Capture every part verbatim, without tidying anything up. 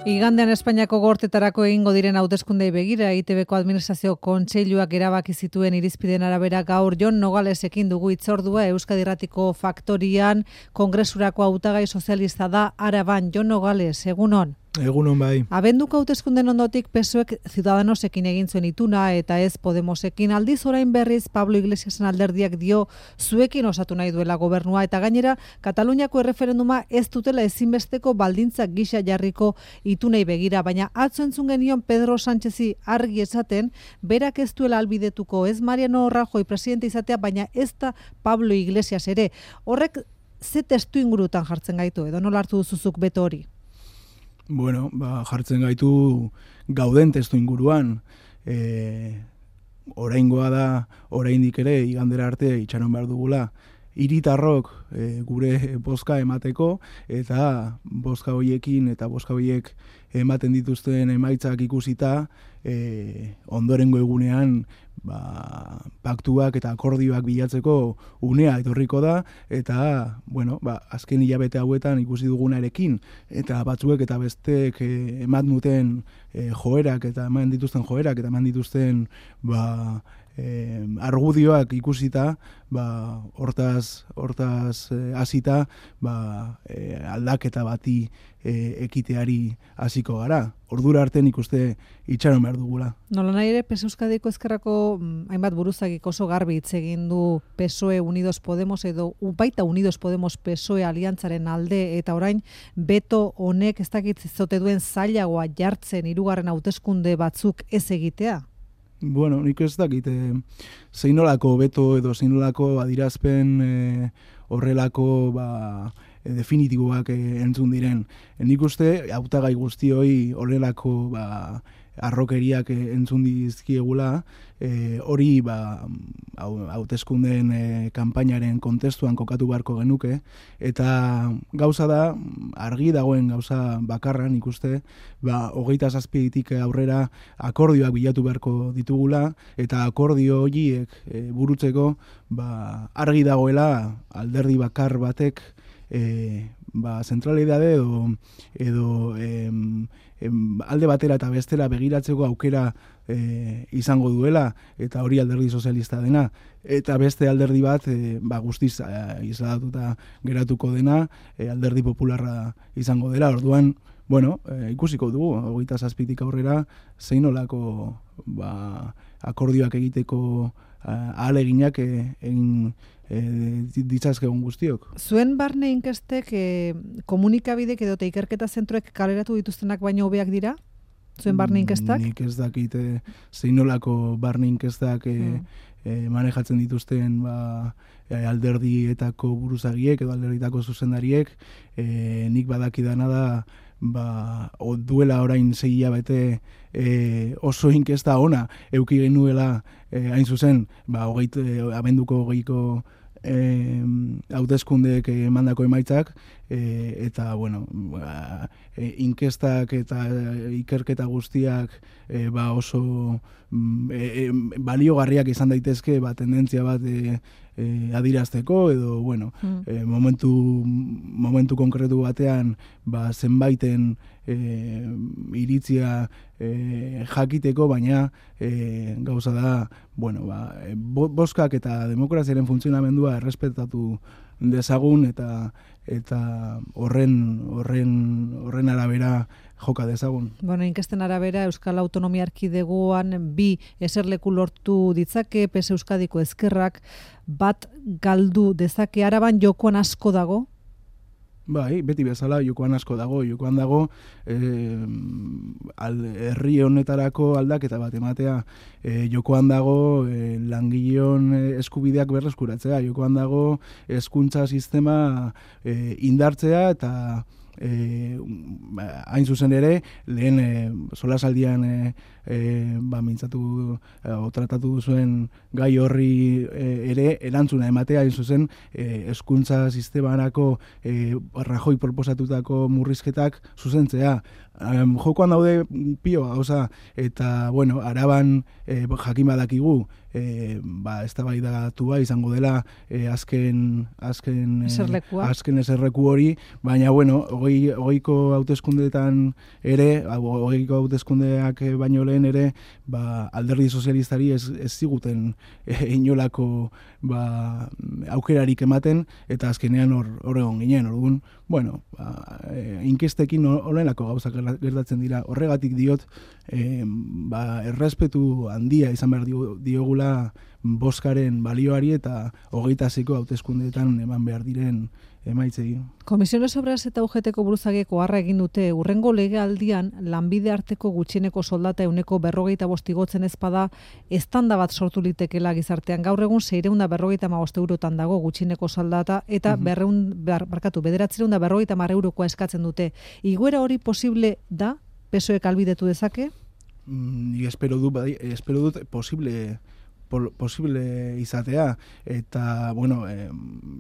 Igandean Espainiako gortetarako egingo diren hauteskundei begira, E I Te Beko administrazio kontseiluak erabaki zituen irizpideen arabera gaur Jon Nogalesekin dugu hitzordua. Euskadi Irratiko Faktorian kongresurako hautagai sozialista da Araban. Jon Nogales, egunon. Egunon bai. Abenduko hauteskunden ondotik P S O Ek Ciudadanosekin egin zuen ituna eta ez Podemosekin. Aldiz orain berriz Pablo Iglesiasen alderdiak dio zuekin osatu nahi duela gobernua eta gainera Kataluniako erreferenduma ez dutela ezinbesteko baldintzak gisa jarriko itunei begira, baina atzo entzun genion Pedro Sánchezi argi esaten berak ez duela albidetuko ez Mariano Rajoy presidente izatea, baina ez da Pablo Iglesias ere. Horrek ze testu ingurutan jartzen gaitu edo nola hartu duzuzuk beto hori? Bueno, ba, jartzen gaitu gauden testu inguruan. E, oraingoa da, oraindik ere, igandera arte itxaron behar dugula, hiritarrok e, gure bozka emateko, eta bozka hoiekin eta bozka hoiek ematen dituzten emaitzak ikusita, e, ondorengo egunean ba, paktuak eta akordioak bilatzeko unea etorriko da, eta bueno, ba, azken hilabete hauetan ikusi dugunarekin, eta batzuek eta besteek e, eman duten e, joerak eta eman dituzten joerak eta eman dituzten ba, Eh, argudioak ikusita, ba, hortaz, hortaz eh, hasita, ba, eh, aldaketa bati eh, ekiteari hasiko gara. Ordura arte nik uste itxaron behar dugula. Nola nahi ere, P S Euskadiko ezkerrako mm, hainbat buruzagik oso garbi hitz egin du P S O E Unidos Podemos edo baita Unidos Podemos P S O E aliantzaren alde, eta orain beto honek ez dakit zote duen zailagoa jartzen hirugarren hauteskunde batzuk ez egitea? Bueno, nik ez dakit, e, zeinolako beto edo zeinolako adirazpen e, horrelako ba, e, definitiboak e, entzun diren. E, nik uste, hautagai guztioi horrelako ba, arrokeriak e, entzun dizkiegula, e, hori ba, hauteskundeen e, kanpainaren kontestuan kokatu beharko genuke, eta gauza da, argi dagoen gauza bakarra, nik uste, ba, hogeita zazpitik aurrera akordioak bilatu beharko ditugula, eta akordio horiek e, burutzeko ba, argi dagoela alderdi bakar batek e, ba, zentralidade edo, edo em, em, alde batera eta bestera begiratzeko aukera e, izango duela, eta hori alderdi sozialista dena, eta beste alderdi bat e, ba, guztiz e, izlatuta geratuko dena, e, alderdi popularra izango dela. Orduan, bueno, e, ikusiko dugu, hogeita zazpitik aurrera, zeinolako ba, akordioak egiteko ahaleginak e, egin e, ditzazkegun guztiok. Zuen barne inkestek e, komunikabidek edo ikerketa zentroek kaleratu dituztenak baino hobeak dira? Zuen barne inkestak? Nik ez dakit e, zeinolako barne inkestak e, mm. e, manejatzen dituzten ba, e, alderdietako buruzagiek edo alderdietako zuzendariek. E, nik badakidana da ba, duela orain sei hilabete e, oso inkesta ona euki genuela e, hain zuzen, ba, hogeit, e, abenduko hogeiko e, hauteskundeek emandako emaitzak, e, eta bueno, ba, e, inkestak eta ikerketa guztiak e, ba, oso e, e, baliogarriak izan daitezke ba, tendentzia bat e, E, adirazteko edo bueno, mm. e, momentu, momentu konkretu batean ba, zenbaiten e, iritzia e, jakiteko, baina e, gauza da bueno, ba, e, boskak eta demokraziaren funtzionamendua errespetatu dezagun eta eta horren horren horren arabera joka dezagun. Bueno, inkesten arabera Euskal Autonomia Erkidegoan bi eserleku lortu ditzake P S Euskadiko ezkerrak, bat galdu dezake. Araban jokoan asko dago? Bai, beti bezala jokoan asko dago, jokoan dago eh, al, herri honetarako aldaketa bat ematea, eh, jokoan dago eh, langileon eskubideak berreskuratzea, jokoan dago hezkuntza sistema eh, indartzea eta E, hain zuzen ere, lehen e, solasaldian e, e, ba, mintzatu e, o tratatu duzuen gai horri e, ere erantzuna ematea, hain zuzen e, hezkuntza sistemarako e, Rajoy proposatutako murrizketak zuzentzea. um, jokoan daude pio gauza, eta, bueno, Araban e, jakin badakigu, e, ba, eztabaidatu izango dela e, azken azken eserlekua. azken eserleku hori, baina bueno, hogei hogeiko hauteskundeetan ere, hogeiko hauteskundeak baino lehen ere, ba, Alderdi Sozialistari ez, ez ziguten e, inolako ba, aukerarik ematen, eta azkenean hor hor egon ginen, orduan, bueno, ba, e, inkestekin horrelako gauzak gertatzen dira. Horregatik diot, e, ba, errespetu handia izan behar diogula boskaren balioari eta hogeita seiko hauteskundeetan eman behar diren emaitzei. Komisiones Obras eta U G T-ko buruzagieko harra egin dute urrengo legealdian lanbide arteko gutxieneko soldata euneko berrogeita bost igotzen ezpada eztanda bat sortu litekela gizartean. Gaur egun seiehun eta berrogeita hamabost eurotan dago gutxieneko soldata eta Mhm. berrehun bar, barkatu bederatziehun eta berrogeita hamar eurokoa eskatzen dute. Igoera hori posible da? P S O Ek albidetu dezake? Mm, Ni espero dut, bai, espero dut posible posible izatea, eta, bueno, eh,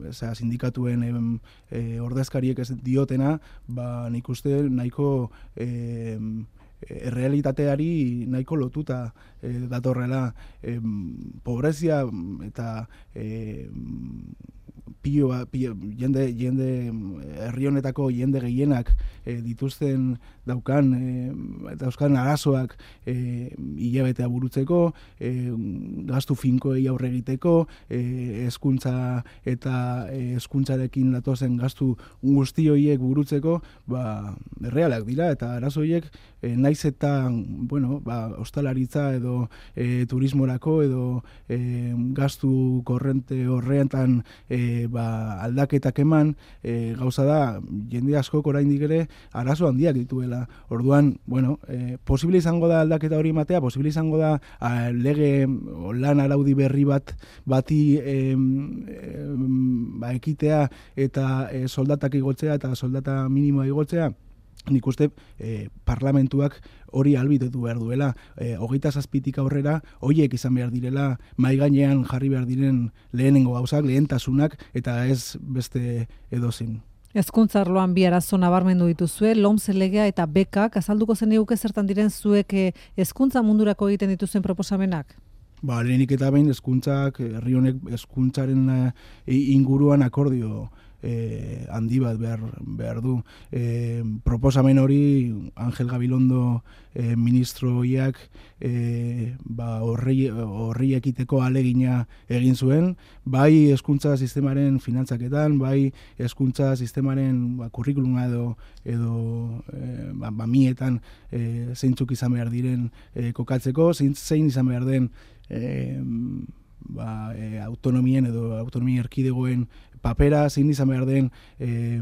eza, sindikatuen eh, eh, ordezkariek ez diotena, ba, nik uste nahiko eh, errealitateari nahiko lotuta eh, datorrela, eh, pobrezia eta eh, pilo, pilo, jende, jende herri honetako jende gehienak e, dituzten daukan e, dauzkan arazoak e, hilabetea burutzeko, e, gastu finkoei aurre egiteko, e, hezkuntza eta e, hezkuntzarekin datozen gastu guzti horiek burutzeko, ba, errealak dira, eta arazo horiek e, naiz eta, bueno, ba, ostalaritza edo e, turismorako edo e, gastu korrente horretan e, ba, aldaketak eman, e, gauza da, jende askok oraindik ere arazo handiak dituela. Orduan, bueno, e, posible izango da aldaketa hori ematea, posible izango da a, lege o, lan araudi berri bat bati e, e, ba, ekitea eta e, soldatak igotzea eta soldata minimoa igotzea. Nik uste eh, parlamentuak hori albidetu behar duela. Eh, hogeita zazpitik aurrera, hoiek izan behar direla, mai gainean jarri behar diren lehenengo gauzak, lehentasunak, eta ez beste edozin. Hezkuntza arloan bi arazo nabarmendu dituzue, LOMCE legea eta bekak, azalduko zeniguke zertan diren zuek hezkuntza mundurako egiten dituzuen proposamenak? Ba, lehenik eta behin hezkuntzak, herri honek hezkuntzaren inguruan akordio Eh, handi bat behar, behar du. Eh, proposamen hori Angel Gabilondo eh, ministroiak eh, ba, horri, horri ekiteko alegina egin zuen, bai hezkuntza sistemaren finantzaketan, bai hezkuntza sistemaren ba, kurrikuluma edo, edo eh, ba, ba, mietan eh, zeintzuk izan behar diren eh, kokatzeko, zein, zein izan behar den eh, ba, e, autonomien edo autonomia erkidegoen papera, zein izan behar den e,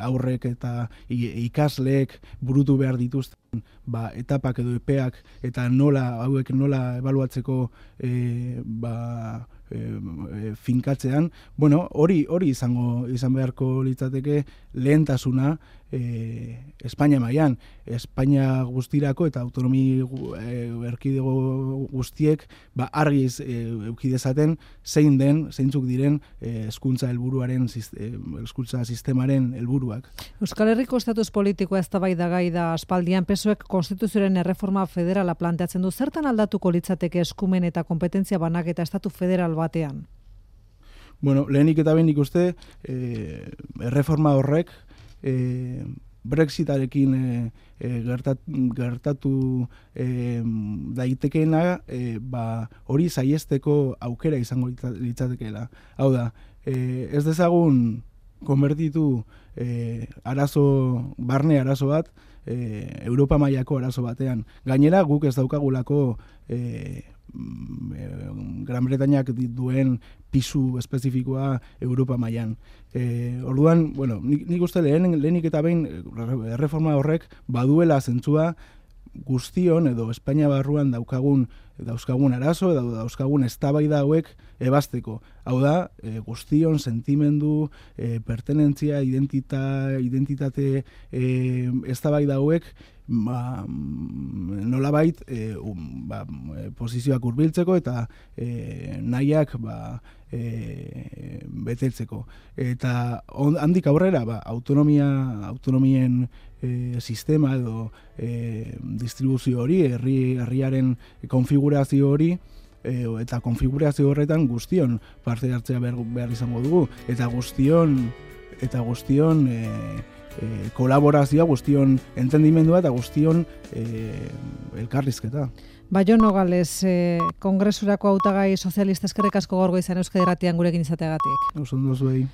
aurrek eta ikasleek burutu behar dituzten ba, etapak edo epeak eta nola hauek nola ebaluatzeko e, ba, e, finkatzean. Bueno, hori hori izango izan beharko litzateke lehentasuna e, Espainia mailan, Espainia guztirako eta autonomi e, erkidego guztiek ba argiz e, eduki dezaten zein den, zeintzuk diren hezkuntza e, helburuaren hezkuntza e, sistemaren helburuak. Euskal Herriko estatus politikoa eztabaidagai da aspaldian. P S O Ek konstituzioaren erreforma federala planteatzen du. Zertan aldatuko litzateke eskumen eta kompetentzia banaketa estatu federal batean? Bueno, lehenik eta behin ikuste e, erreforma horrek e, Brexitarekin e, e, gertat, gertatu e, daitekeena e, ba, hori saiesteko aukera izango litzatekeela. Hau da, e, ez dezagun konbertitu e, arazo, barne arazo bat e, Europa mailako arazo batean. Gainera guk ez daukagulako e, Gran Bretañak duen pisu espezifikoa Europa mailan. E, orduan, bueno, nik, nik uste lehen, lehenik eta behin erreforma horrek baduela zentzua guztion edo Espainia barruan daukagun dauzkagun arazo, edo dauzkagun eztabaida hauek ebasteko. Hau da, e, guztion sentimendu, e, pertenentzia, identita, identitate e, eztabaida hauek ba, nolabait e, um, ba, posizioak hurbiltzeko eta e, nahiak ba, e, betetzeko. Eta on, handik aurrera ba, autonomia, autonomien e, sistema edo e, distribuzio hori, herri herriaren konfigurazio hori, E, eta konfigurazio horretan guztion parte hartzea behar, behar izango dugu eta guztion eta guztion e, e, kolaborazioa, guztion entendimendua eta guztion e, elkarrizketa. Jon Nogales, eh, kongresurako hautagai sozialista eskerrik asko gaur goizean Euskadi Irratian gurekin izateagatik. Oso ondo zuei.